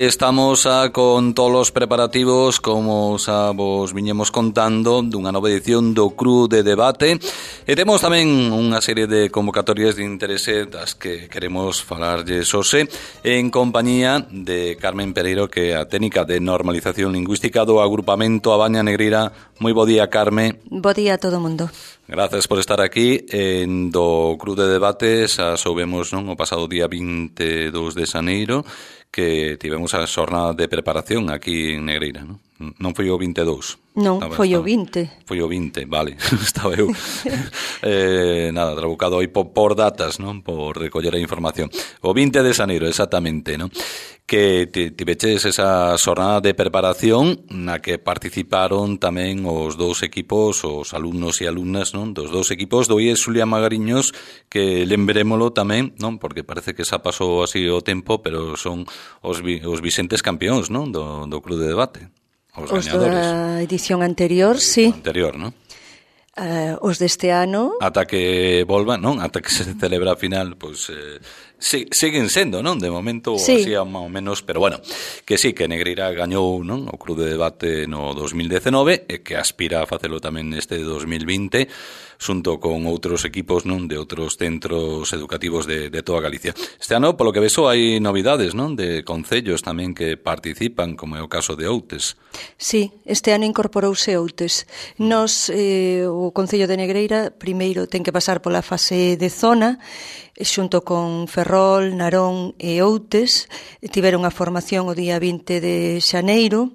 Estamos con todos os preparativos, como xa vos viñemos contando, dunha nova edición do Cru de Debate, e temos tamén unha serie de convocatorias de interese das que queremos falarlles hoxe en compañía de Carmen Pereiro, que é a técnica de normalización lingüística do agrupamento A Baña Negreira. Moi bo día, Carme. Bo día a todo o mundo. Gracias por estar aquí en do Cru de Debate. Xa soubemos, non, o pasado día 22 de xaneiro que tivemos a xornada de preparación aquí en Negreira, non? Non foi o 22. Non, foi o 20. Foi o 20, vale. Estaba eu nada, trabucado aí por datas, non? Por recoller a información. O 20 de xaneiro, exactamente, non? Que tiveches esa xornada de preparación na que participaron tamén os dous equipos, os alumnos e alumnas, non? Dos dous equipos do IES Xulia Magariños, que lembrémolo tamén, non? Porque parece que xa pasou así o tempo, pero son os vixentes campións, non? Do Club de Debate. Os gañadores. Da edición anterior, sí. Anterior, non? Os deste ano. Ata que volvan, non? Ata que se celebra a final, pois siguen sendo, non? De momento, sí. Así máis ou menos, pero bueno, que sí, que Negreira gañou, non? O Club de Debate no 2019 e que aspira a facelo tamén neste 2020, xunto con outros equipos, non? De outros centros educativos de toda Galicia. Este ano, polo que vexo, hai novidades, non? De concellos tamén que participan, como é o caso de Outes. Sí, este ano incorporouse Outes. Nos, o Concello de Negreira, primeiro ten que pasar pola fase de zona, xunto con Ferrol, Narón e Outes. Tiveron a formación o día 20 de xaneiro,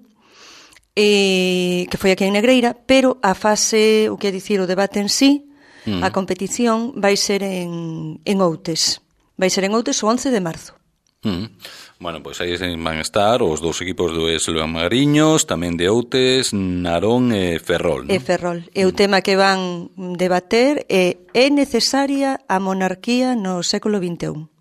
que foi aquí en Negreira, pero a fase, o que é dicir, o debate en sí, a competición vai ser en Outes. Vai ser en Outes o 11 de marzo. Bueno, pois aí van estar os dous equipos do Xulia Magariños, tamén de Outes, Narón e Ferrol, non? E Ferrol. E o tema que van debater é necesaria a monarquía no século XXI.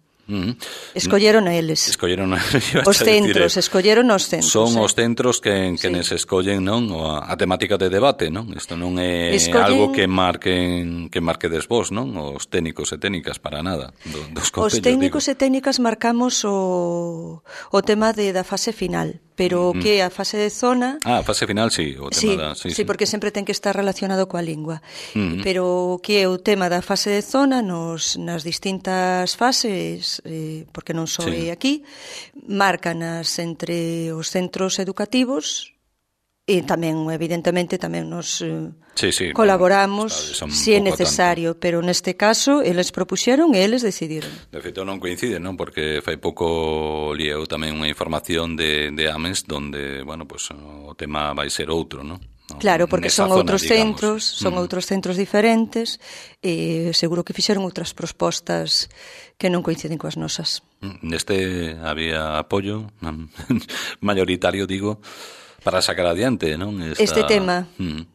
Escolleron a eles. Escolleron os centros, escolleron os centros. Son os centros que nes escollen, non, a temática de debate, non? Isto non é algo que marquedes vos, non? Os técnicos e técnicas para nada. Dos concellos, os técnicos e técnicas marcamos o tema da fase final. Pero que a fase de zona... a fase final, sí. O tema sí, porque sempre ten que estar relacionado coa lingua. Pero que é o tema da fase de zona nas distintas fases, porque non só é aquí, márcanas entre os centros educativos e tamén, evidentemente, tamén nos colaboramos se é necesario, pero neste caso eles propuxeron e eles decidiron. De feito non coincide, non? Porque fai pouco lieu tamén unha información de Ames donde, bueno, pues o tema vai ser outro, non? Claro, porque son outros centros, son outros centros diferentes e seguro que fixeron outras propostas que non coinciden coas nosas. Neste había apoio mayoritario, digo, para sacar adiante, non? Este tema,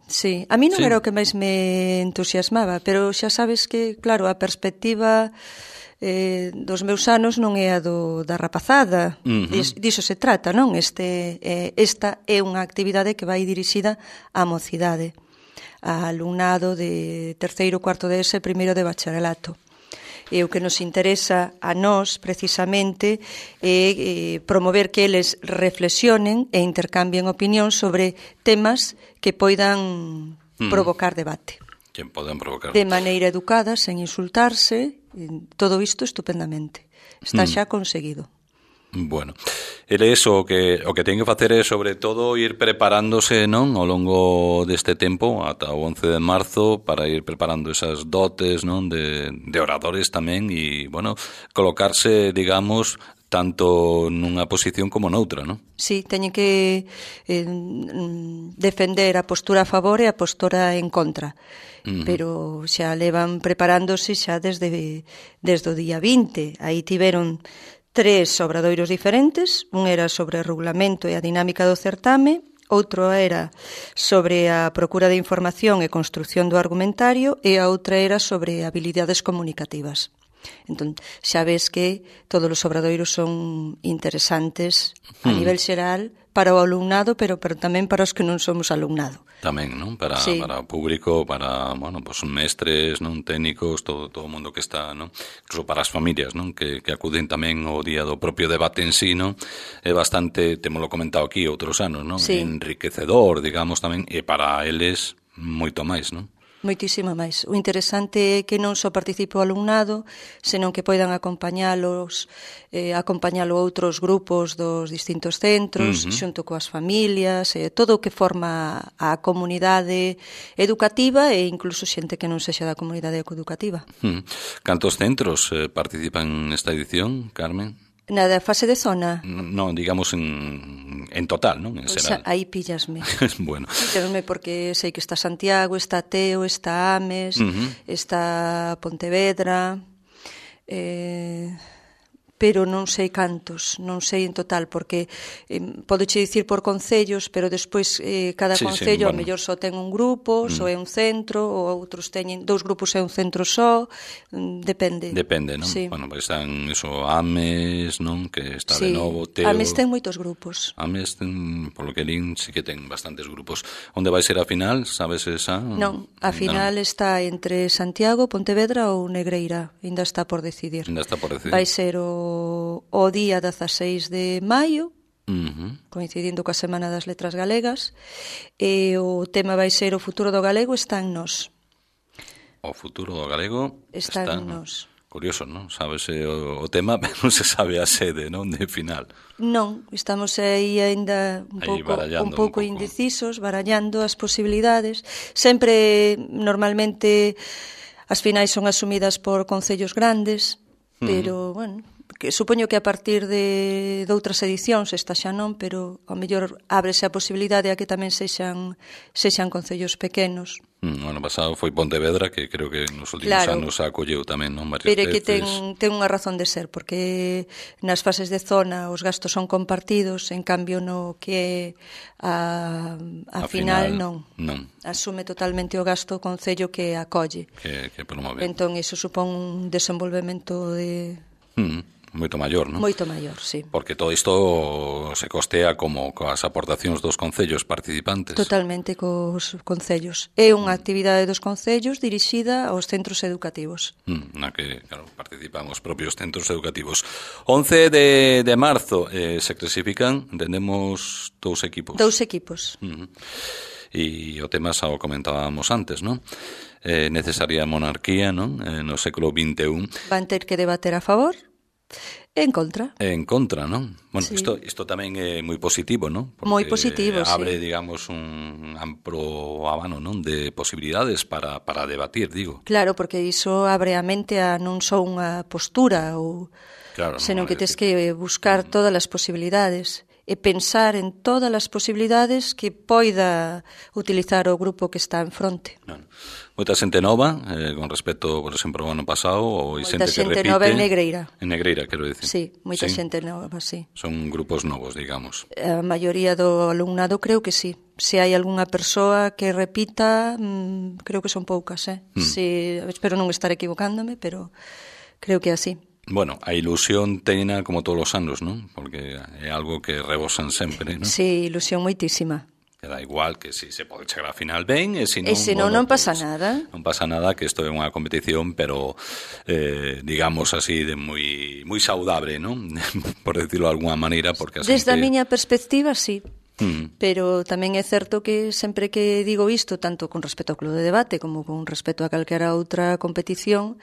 sí. A mí non era o que máis me entusiasmaba, pero xa sabes que, claro, a perspectiva dos meus anos non é a da rapazada. Diso se trata, non? Esta é unha actividade que vai dirixida á mocidade, a alumnado de terceiro, cuarto de ESE, primeiro de bacharelato. E o que nos interesa a nós, precisamente, é promover que eles reflexionen e intercambien opinión sobre temas que poidan provocar debate. Que poden provocar. De maneira educada, sen insultarse, todo isto estupendamente. Está xa conseguido. Bueno, eles o que ten que facer é, sobre todo, ir preparándose, non, ao longo deste tempo, ata o 11 de marzo, para ir preparando esas dotes, non, de oradores tamén, e, bueno, colocarse, digamos, tanto nunha posición como noutra, non? Sí, teñen que defender a postura a favor e a postura en contra. Pero xa levan preparándose xa desde o día 20. Aí tiveron 3 obradoiros diferentes. Un era sobre o regulamento e a dinámica do certame, outro era sobre a procura de información e construción do argumentario e a outra era sobre habilidades comunicativas. Entón, xa ves que todos os obradoiros son interesantes a nivel xeral para o alumnado, pero tamén para os que non somos alumnado. Tamén, non? Para o público, para, bueno, pues mestres, non, técnicos, todo o mundo que está, non? Incluso para as familias, non? Que acuden tamén ao día do propio debate en sí, non? É bastante, temos lo comentado aquí outros anos, non? Sí. Enriquecedor, digamos, tamén, e para eles moito máis, non? Moitísimo máis. O interesante é que non só participe o alumnado, senón que poidan acompañalo outros grupos dos distintos centros, xunto coas familias, todo o que forma a comunidade educativa e incluso xente que non sexa da comunidade educativa. Cantos centros participan nesta edición, Carmen? Na da fase de zona? Non, digamos en total, non? En Pois xeral. aí píllasme. Bueno. Píllasme porque sei que está Santiago, está Teo, está Ames, está Pontevedra, pero non sei cantos, non sei en total, porque podoche dicir por concellos, pero despois cada concello ao mellor só ten un grupo, só é un centro, ou outros teñen 2 grupos e un centro só, depende. Depende, non? Sí. Bueno, pues están eso, Ames, non? Que está de novo, Teo. Ames ten moitos grupos. Ames ten, polo que lín, sí que ten bastantes grupos. Onde vai ser a final? Sabes esa? Non, a final está entre Santiago, Pontevedra ou Negreira, ainda está por decidir. Ainda está por decidir. Vai ser o día 16 de maio, coincidindo coa Semana das Letras Galegas, e o tema vai ser o futuro do galego está en nós. O futuro do galego está en nós. Curioso, non? Sabes o tema, pero non se sabe a sede, non? De final. Non, estamos aí aínda un pouco indecisos, barallando as posibilidades. Sempre, normalmente, as finais son asumidas por concellos grandes, pero, bueno, que supoño que a partir de outras edicións, esta xa non, pero ao mellor ábrese a posibilidade a que tamén sexan concellos pequenos. O ano pasado foi Pontevedra, que creo que nos últimos anos acolleu tamén, non? Varias pero é que veces. ten unha razón de ser, porque nas fases de zona os gastos son compartidos, en cambio no que a final non. Asume totalmente o gasto o concello que acolle. Que promove. Entón, iso supón un desenvolvemento de... Moito maior, non? Moito maior, sí. Porque todo isto se costea como coas aportacións dos concellos participantes. Totalmente cos concellos. É unha actividade dos concellos dirixida aos centros educativos. Na que, claro, participan os propios centros educativos. 11 de marzo se clasifican, entendemos, 2 equipos. 2 equipos. E o tema xa o comentábamos antes, non? Necesaria monarquía, non? No século XXI. Van ter que debater a favor e en contra. En contra, non? Bueno, isto tamén é moi positivo, non? Porque moi positivo, abre, digamos, un amplo abano, non? De posibilidades para debatir, digo. Claro, porque iso abre a mente a non só unha postura, senón que tes que buscar todas as posibilidades e pensar en todas as posibilidades que poida utilizar o grupo que está en fronte. Moita xente nova, con respecto, por exemplo, ao ano pasado, ou xente que repite. Moita xente nova en Negreira. En Negreira, quero dicir. Sí, moita xente nova, sí. Son grupos novos, digamos. A maioría do alumnado creo que sí. Se hai algunha persoa que repita, creo que son poucas, espero non estar equivocándome, pero creo que é así. Bueno, a ilusión teñena como todos os anos, non? Porque é algo que rebosan sempre, non? Sí, ilusión moitísima. Que da igual que se pode chegar a final ben e se non, non pasa nada. Non pasa nada, que isto é unha competición, pero digamos así de moi saudable, non? Por decirlo de alguna maneira, porque desde a miña perspectiva, sí. Pero tamén é certo que sempre que digo isto, tanto con respecto ao club de debate como con respecto a calquera outra competición,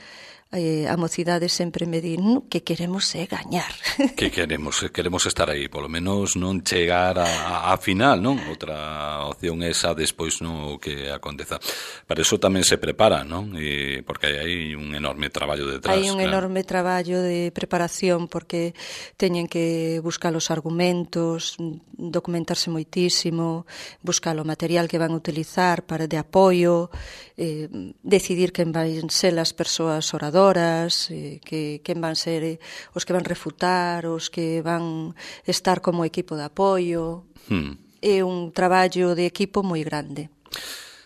a mocidade sempre me di que queremos é gañar. Que queremos estar aí, polo menos non chegar a final, non? Outra opción é esa despois non o que aconteza. Para iso tamén se prepara, non? Porque hai un enorme traballo detrás. Hai un enorme traballo de preparación porque teñen que buscar os argumentos, documentarse moitísimo, buscar o material que van a utilizar para de apoio, decidir quen van ser as persoas oradoras, quen van ser os que van refutar, os que van estar como equipo de apoio. É un traballo de equipo moi grande.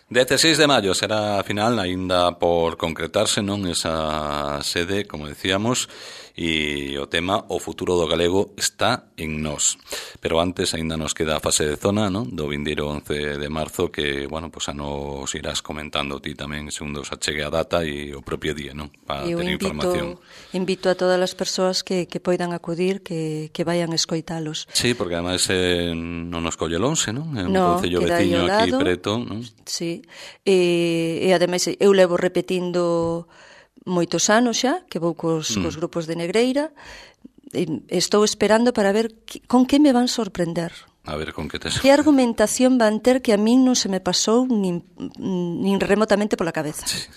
16 de maio será a final, aínda por concretarse, non, esa sede, como decíamos, e o tema O futuro do galego está en nós. Pero antes aínda nos queda a fase de zona, non, do vindeiro 11 de marzo, que, bueno, pues a nos irás comentando ti tamén, segundo se achegue a data e o propio día, non, para ter información. Invito a todas as persoas que poidan acudir, que vayan escoitalos. Sí, porque ademais non nos colle lonxe, non? É un concello veciño aquí preto, non? Sí, e ademais eu levo repetindo moitos anos xa, que vou cos grupos de Negreira, e estou esperando para ver con que me van sorprender. A ver, con que te... Que argumentación van ter que a min non se me pasou nin remotamente pola cabeza. Sí.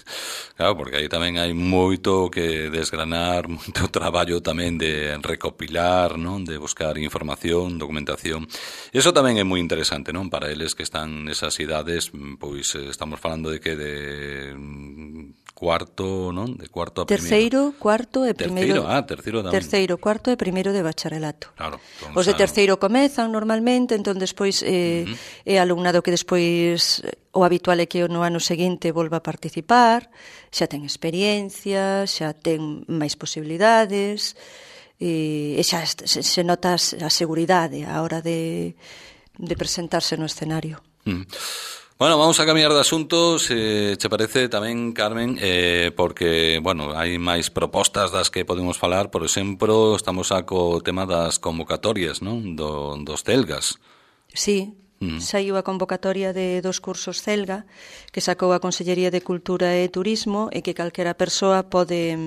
Claro, porque aí tamén hai moito que desgranar, moito traballo tamén de recopilar, non, de buscar información, documentación. E iso tamén é moi interesante, non, para eles que están nesas idades, pois estamos falando de que de cuarto, non? De cuarto a primeiro. Terceiro, cuarto e primeiro. Terceiro tamén. Terceiro, cuarto e primeiro de bacharelato. Claro. Os de terceiro comezan normalmente, entón despois é alumnado que despois o habitual é que no ano seguinte volva a participar, xa ten experiencia, xa ten máis posibilidades, e xa se nota a seguridade a hora de presentarse no escenario. Bueno, vamos a cambiar de asuntos, che parece tamén, Carmen, porque, bueno, hai máis propostas das que podemos falar. Por exemplo, estamos co tema das convocatorias, non? Dos celgas. Sí, saiu a convocatoria de 2 cursos celga que sacou a Consellería de Cultura e Turismo e que calquera persoa pode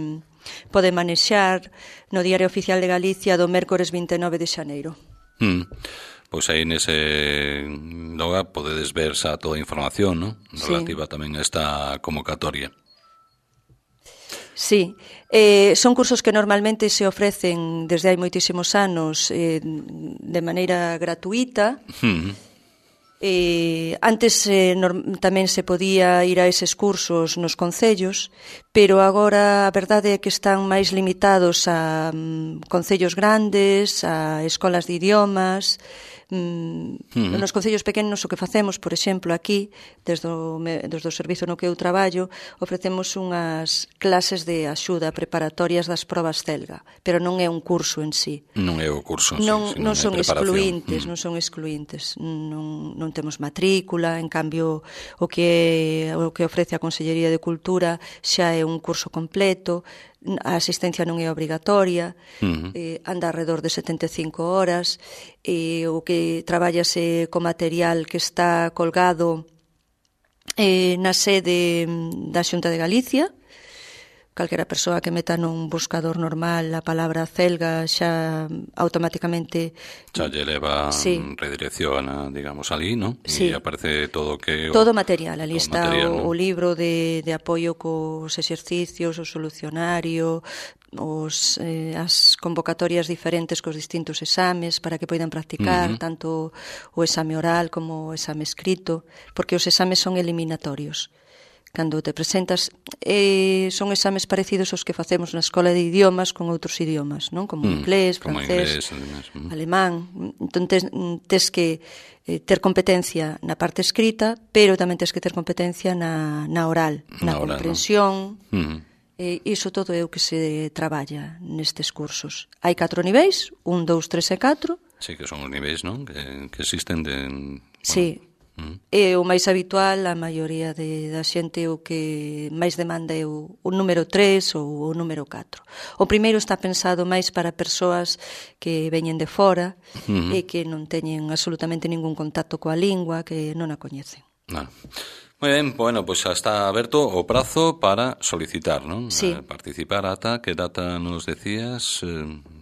manexar no Diario Oficial de Galicia do mércores 29 de xaneiro. Pois aí nese logo podedes ver xa toda a información, non? Relativa tamén a esta convocatoria. Sí, son cursos que normalmente se ofrecen desde hai moitísimos anos de maneira gratuita. Antes tamén se podía ir a eses cursos nos concellos, pero agora a verdade é que están máis limitados a concellos grandes, a escolas de idiomas. Nos concellos pequenos o que facemos, por exemplo, aquí, desde o servizo no que eu traballo, ofrecemos unhas clases de axuda preparatorias das probas celga, pero non é un curso en sí. Non é o curso, non son excluíntes, non son excluíntes, non temos matrícula, en cambio o que ofrece a Consellería de Cultura xa é un curso completo. A asistencia non é obrigatoria, anda alrededor de 75 horas, o que traballase co material que está colgado na sede da Xunta de Galicia. Calquera persoa que meta nun buscador normal a palabra celga xa automáticamente xa lle leva redirección, digamos, ali, non? Sí. E aparece todo que... Todo material, ali está o libro de apoio cos exercicios, o solucionario, as convocatorias diferentes cos distintos exames para que poidan practicar tanto o exame oral como o exame escrito, porque os exames son eliminatorios. Cando te presentas, son exames parecidos aos que facemos na escola de idiomas con outros idiomas, non? Como inglés, francés, alemán. Entón, tes que ter competencia na parte escrita, pero tamén tes que ter competencia na oral, na comprensión. Iso todo é o que se traballa nestes cursos. Hai 4 niveis, 1, 2, 3 e 4. Sí, que son os niveis, non? Que existen de... Sí. É o máis habitual, a maioría da xente o que máis demanda é o número 3 ou o número 4. O primeiro está pensado máis para persoas que veñen de fora e que non teñen absolutamente ningún contacto coa lingua, que non a coñecen. Moi ben, bueno, pois xa está aberto o prazo para solicitar, non? Sí. Participar ata, que data nos decías?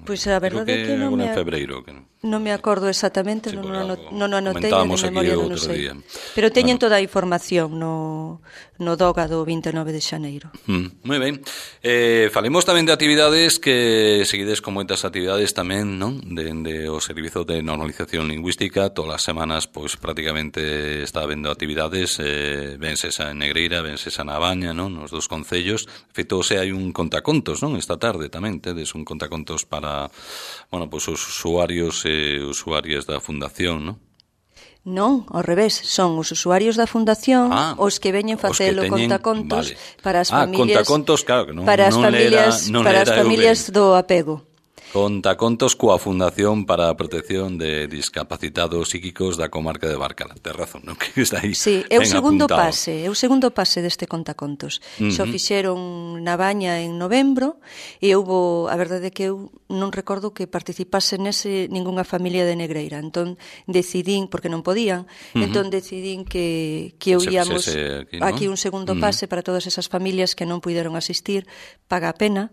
Pois a verdade é que non me... febreiro, que non me acordo exactamente, sí, non o anotei, de memoria non o sei. Día. Pero teñen toda a información no DOGA do 29 de xaneiro. Moi ben. Falemos tamén de actividades que seguides con moitas actividades tamén, non? Dende o Servizo de Normalización Lingüística, todas as semanas, pois prácticamente está habendo actividades, venses a Negreira, venses a Nabaña, non? Nos dos concellos. De feito, hai un contacontos, non? Esta tarde tamén tedes un contacontos para, bueno, pois os usuarios e usuarias da Fundación, non? Non, ao revés, son os usuarios da Fundación os que veñen facelo contacontos para as familias, contacontos, claro, que non, para as familias do apego. Contacontos coa Fundación para a Protección de Discapacitados Psíquicos da comarca de Barcala. Tes razón, non? Que está aí. Sí, é o segundo pase deste contacontos. Xo fixeron na Baña en novembro e houbo, a verdade é que eu non recordo que participase nese ningunha familia de Negreira. Entón decidín, porque non podían, entón decidín que eu íamos aquí un segundo pase para todas esas familias que non puideron asistir. Paga a pena,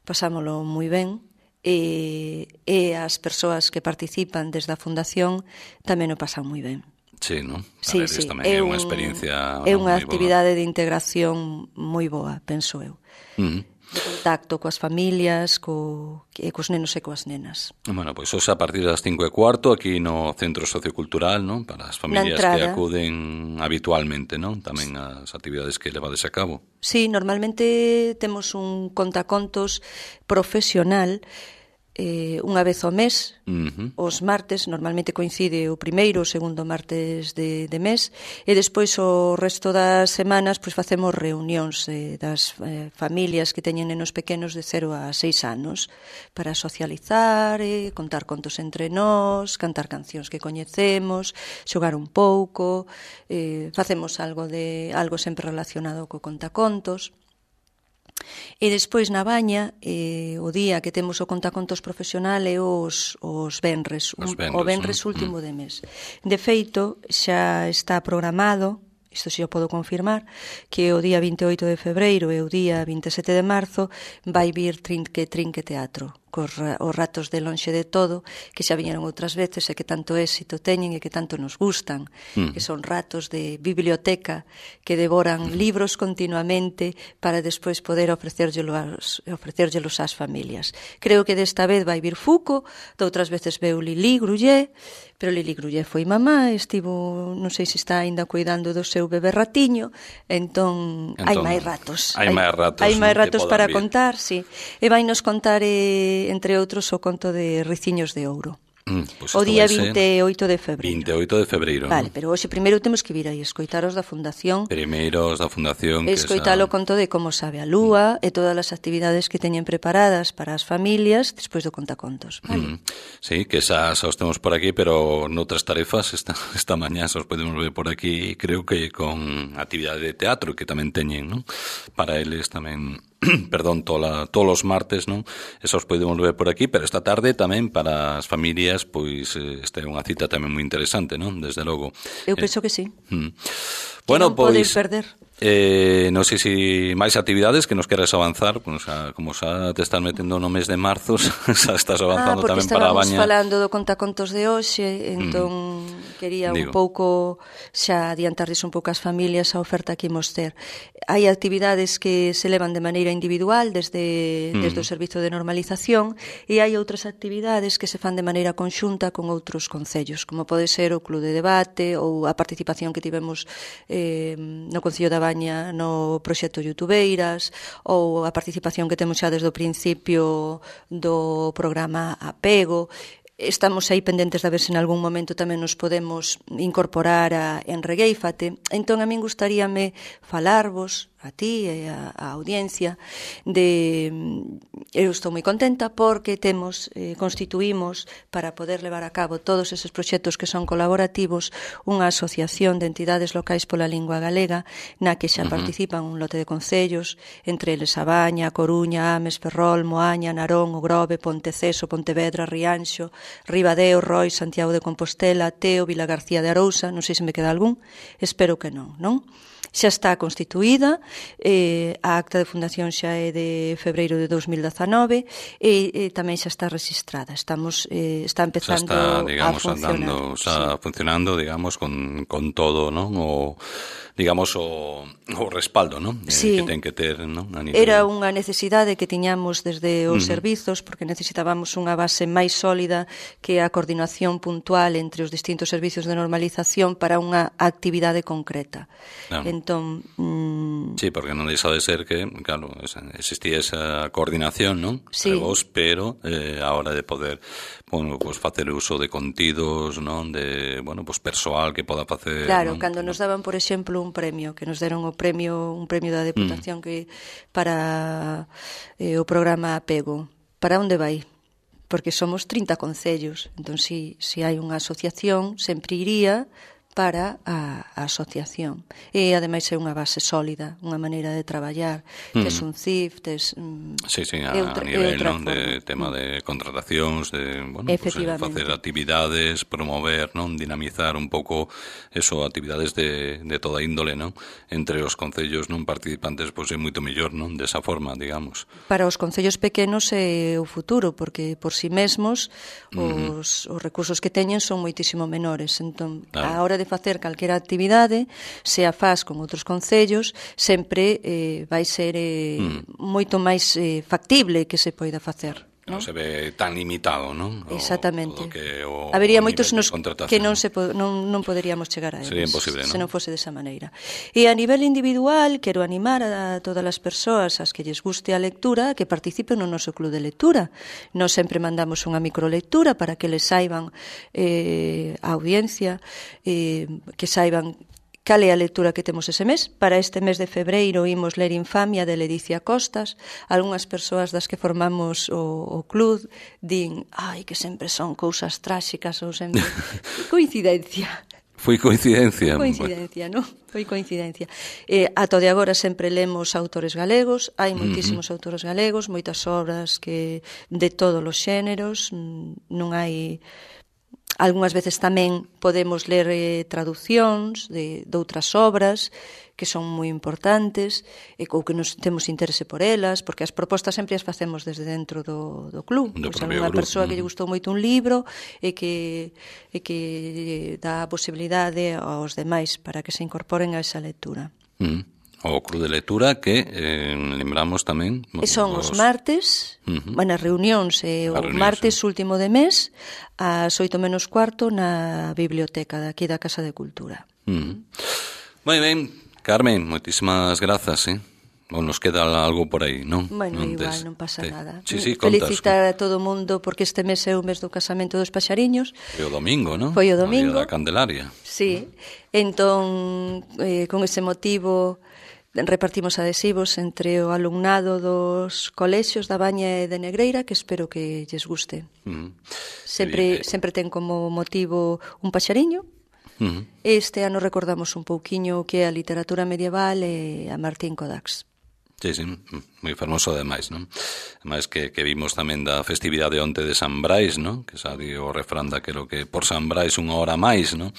pasámolo moi ben. E as persoas que participan desde a Fundación tamén o pasan moi ben. Sí, non? Sí, tamén é unha experiencia é unha actividade de integración moi boa, penso eu. De contacto coas familias, cos nenos e coas nenas. Bueno, pois hoxe a partir das 5:15 aquí no Centro Sociocultural, non? Para as familias que acuden habitualmente, non? Tamén as actividades que levades a cabo. Sí, normalmente temos un contacontos profesional unha vez ao mes, os martes, normalmente coincide o primeiro ou segundo martes de mes, e despois o resto das semanas pois facemos reunións das familias que teñen nenos pequenos de 0 a 6 anos para socializar, contar contos entre nós, cantar cancións que coñecemos, xogar un pouco, facemos algo sempre relacionado co contacontos. E despois na Baña, o día que temos o contacontos profesional é os venres, o venres último de mes. De feito, xa está programado, isto xa o podo confirmar, que o día 28 de febreiro e o día 27 de marzo vai vir Trinque Teatro, cos ratos de Lonxe de Todo, que xa viñeron outras veces e que tanto éxito teñen e que tanto nos gustan, que son ratos de biblioteca que devoran libros continuamente para despois poder ofrecérllelos ás familias. Creo que desta vez vai vir Fuco, de outras veces veu Lili Grullé, pero Lili Grullé foi mamá, estivo, non sei se está aínda cuidando do seu bebé ratiño, entón hai máis ratos. Hai máis ratos para contar, sí. E vai nos contar entre outros o conto de Riciños de Ouro. Pues o día 28 de febreiro. 28 de febreiro. Vale, pero hoxe primeiro temos que vir aí escoitaros da Fundación. Primeiros da Fundación. Escoitalo conto de como sabe a lúa e todas as actividades que teñen preparadas para as familias despois do contacontos. Vale? Sí, que xa os temos por aquí, pero noutras tarefas esta mañá os podemos ver por aquí, creo que con actividade de teatro que tamén teñen, non? Para eles tamén... Perdón, todos os martes, non? Esos podemos ver por aquí, pero esta tarde tamén para as familias, pois esta é unha cita tamén moi interesante, non? Desde logo. Eu penso que sí. Bueno, pois poden perder. Non sei se máis actividades que nos queres avanzar, pues, como xa te estás metendo no mes de marzo, xa estás avanzando tamén para a Baña. Porque estábamos falando do contacontos de hoxe, entón quería un pouco xa adiantarles un pouco as familias a oferta que imos ter. Hai actividades que se levan de maneira individual desde o servizo de normalización e hai outras actividades que se fan de maneira conxunta con outros concellos, como pode ser o Club de Debate ou a participación que tivemos no Concello da Baña no proxecto Youtubeiras ou a participación que temos xa desde o principio do programa Apego. Estamos aí pendentes de ver se en algún momento tamén nos podemos incorporar a Enreguéifate. Entón, a min gustaríame falarvos a ti e a audiencia eu estou moi contenta porque constituímos para poder levar a cabo todos eses proxectos que son colaborativos unha asociación de entidades locais pola lingua galega na que xa participan un lote de concellos, entre eles a Baña, a Coruña, Ames, Ferrol, Moaña, Narón, O Grove, Ponteceso, Pontevedra, Rianxo, Ribadeo, Roi, Santiago de Compostela, Teo, Vilagarcía de Arousa, non sei se me queda algún, espero que non? Xa está constituída, a acta de fundación xa é de febreiro de 2019 e tamén xa está registrada. Está empezando a funcionar. Está funcionando, digamos, con todo, non? digamos, o respaldo, non? Sí. Que ten que ter, non? Era unha necesidade que tiñamos desde os servizos, porque necesitábamos unha base máis sólida que a coordinación puntual entre os distintos servizos de normalización para unha actividade concreta. Claro. Entón, sí, porque non deixa de ser que, claro, existía esa coordinación, non? Sí. Entre vos, pero a hora de poder, bueno, pues facer uso de contidos, non? De, bueno, pues persoal que poda facer... Claro, non? cando nos daban, por exemplo, un premio, que nos deron un premio da Deputación que para o programa Apego. Para onde vai? Porque somos 30 concellos. Entón, se hai unha asociación, sempre iría para a asociación. E, ademais, é unha base sólida, unha maneira de traballar. Tes un CIF, tes... Sí, a nivel, non? De tema de contratacións, de, bueno, pues, facer actividades, promover, non? Dinamizar un pouco eso, actividades de toda índole, non? Entre os concellos non participantes, pois é moito mellor, non? Desa forma, digamos. Para os concellos pequenos é o futuro, porque por si mesmos os recursos que teñen son moitísimo menores. Entón, a hora de facer calquera actividade, se a faz con outros concellos, sempre vai ser moito máis factible que se poida facer. Non se ve tan limitado, non? Exactamente. Habería moitos que non poderíamos chegar a eles. Sería imposible, non? Se non fose desa maneira. E a nivel individual, quero animar a todas as persoas as que lles guste a lectura que participen no noso club de lectura. Nós sempre mandamos unha microlectura para que les saiban a audiencia, que saiban cal é a lectura que temos ese mes. Para este mes de febreiro imos ler Infamia de Ledicia Costas. Algúnas persoas das que formamos o club din, que sempre son cousas tráxicas ou sempre... Coincidencia. Foi coincidencia. Coincidencia, non? Foi coincidencia. Ata de agora sempre lemos autores galegos, hai moitísimos autores galegos, moitas obras que de todos os xéneros, non hai... Algúnas veces tamén podemos ler traducións de outras obras que son moi importantes ou que nos temos interese por elas, porque as propostas sempre as facemos desde dentro do club. Pois unha persoa que lle gustou moito un libro e que dá a posibilidade aos demais para que se incorporen a esa lectura. O club de lectura que lembramos tamén... Son os martes, as reunións, o martes último de mes, ás 8:45 na biblioteca daqui da Casa de Cultura. Moi ben, Carmen, moitísimas grazas, ou nos queda algo por aí, non? Bueno, igual, non pasa nada. Sí, felicitar a todo o mundo porque este mes é o mes do casamento dos paxariños. Foi o domingo, non? Foi o domingo. O día da Candelaria. Sí, entón, con ese motivo... repartimos adhesivos entre o alumnado dos colexios da Baña e de Negreira, que espero que lles guste. Sempre ten como motivo un paxariño. Este ano recordamos un pouquiño o que é a literatura medieval e a Martín Codax. Sí, moi fermoso ademais, non? Ademais que vimos tamén da festividade onte de San Brais, non? Que xa di o refrán daquelo que por San Brais unha hora máis, non?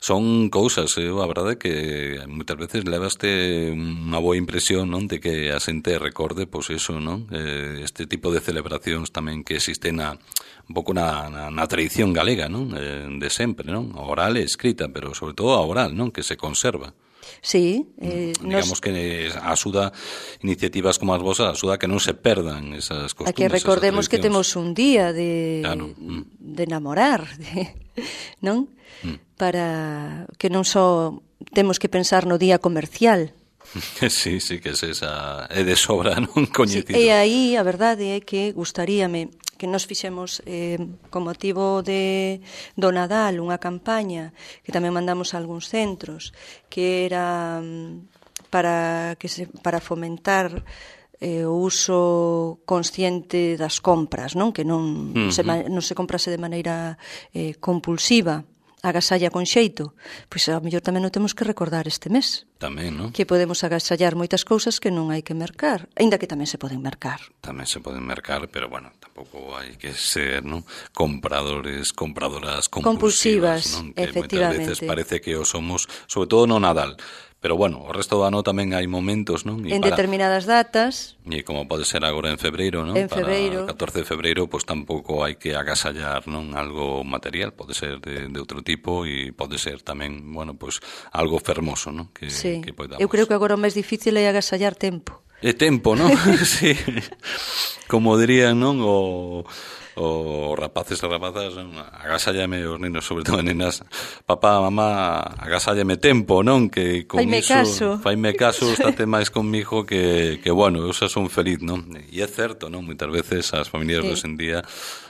Son cousas, a verdade que moitas veces levaste unha boa impresión, non? De que a xente recorde, pois eso, non? Este tipo de celebracións tamén que existen un pouco na tradición galega, non? De sempre, non? A oral e escrita, pero sobre todo a oral, non? Que se conserva. Sí, digamos que axuda iniciativas como as vosas, axuda a que non se perdan esas costumes. A que recordemos que temos un día de namorar, non? Para que non só temos que pensar no día comercial. Sí, que é de sobra non coñecido. E aí a verdade é que gustaríame que nos fixemos con motivo do Nadal unha campaña que tamén mandamos a algúns centros que era para fomentar o uso consciente das compras, non? Que non se comprase de maneira compulsiva, agasalla con xeito. Pois a mellor tamén non temos que recordar este mes. Tamén, non? Que podemos agasallar moitas cousas que non hai que mercar, aínda que tamén se poden mercar. Tamén se poden mercar, pero bueno, tampouco hai que ser, non? Compradoras compulsivas, non? Que efectivamente. moitas veces parece que o somos, sobre todo no Nadal. Pero bueno, o resto do ano tamén hai momentos, non? En determinadas datas. E como pode ser agora en febreiro, non? En febreiro. Para 14 de febreiro, pois tampouco hai que agasallar, non? Algo material, pode ser de outro tipo e pode ser tamén, bueno, pois algo fermoso, non? Que podamos. Eu creo que agora o máis difícil é agasallar tempo. É tempo, non? Sí. Como dirían, non? Os rapaces e rapazas, agasállame os nenos, sobre todo nenas, papá, mamá, agasállame tempo, non? Que con faime caso, estate máis conmigo que bueno, eu xa son feliz, non? E é certo, non? Moitas veces as familias de hoxe en día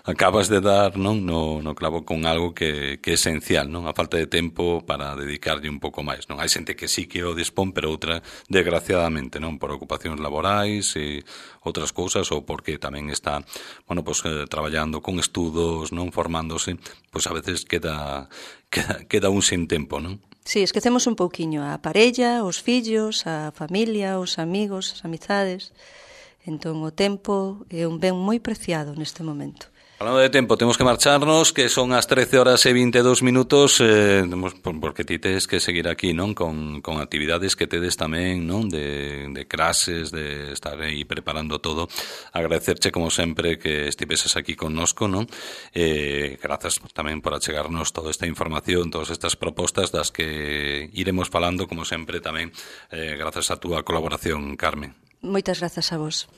acabas de dar, non? No clavo con algo que é esencial, non? A falta de tempo para dedicarlle un pouco máis, non? Hai xente que sí que o dispón, pero outra, desgraciadamente, non? Por ocupacións laborais e outras cousas, ou porque tamén está, bueno, pues traballando con estudos, non, formándose, pois a veces queda un sin tempo, non? Sí, esquecemos un pouquiño a parella, os fillos, a familia, os amigos, as amizades. Entón o tempo é un ben moi preciado neste momento. Falando de tempo, temos que marcharnos, que son as 13:22, porque ti tes que seguir aquí, non? Con actividades que tedes tamén, non? De clases, de estar aí preparando todo. Agradecerche, como sempre, que estiveses aquí connosco, non? Grazas tamén por achegarnos toda esta información, todas estas propostas das que iremos falando, como sempre, tamén grazas a túa colaboración, Carmen. Moitas grazas a vos.